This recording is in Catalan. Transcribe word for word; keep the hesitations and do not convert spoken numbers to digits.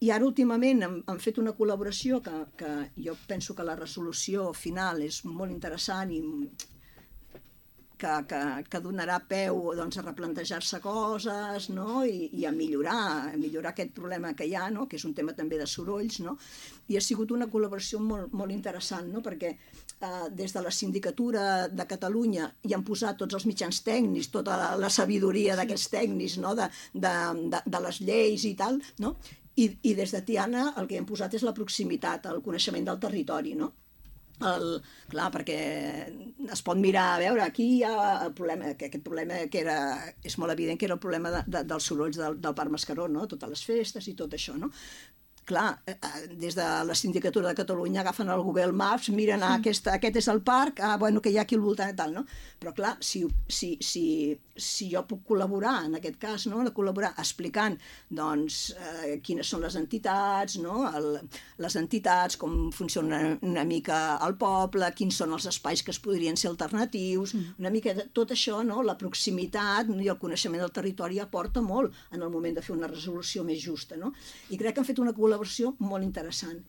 I ara últimament hem, hem fet una col·laboració que, que jo penso que la resolució final és molt interessant i que, que, que donarà peu doncs, a replantejar-se coses, no? I, i a millorar, a millorar aquest problema que hi ha, no? Que és un tema també de sorolls, no? I ha sigut una col·laboració molt, molt interessant, no? Perquè eh, des de la Sindicatura de Catalunya hi han posat tots els mitjans tècnics, tota la, la sabidoria d'aquests tècnics, no? de, de, de, de les lleis i tal, no? I, i des de Tiana el que hem posat és la proximitat, el coneixement del territori, no? El, clar, perquè es pot mirar, a veure, aquí hi ha el problema, que aquest problema que era, és molt evident que era el problema de, de, dels sorolls del, del Parc Mascaró, no? Totes les festes i tot això, no? Clar, des de la Sindicatura de Catalunya agafen el Google Maps, miren, ah, aquest, aquest és el parc, ah, bueno, que hi ha aquí al voltant i tal, no? Però clar, si, si, si, si jo puc col·laborar, en aquest cas, no? col·laborar explicant, doncs, eh, quines són les entitats, no? El, les entitats, com funciona una mica el poble, quins són els espais que es podrien ser alternatius, una mica de tot això, no? La proximitat i el coneixement del territori aporta molt en el moment de fer una resolució més justa, no? I crec que han fet una col·laboració molt interessant.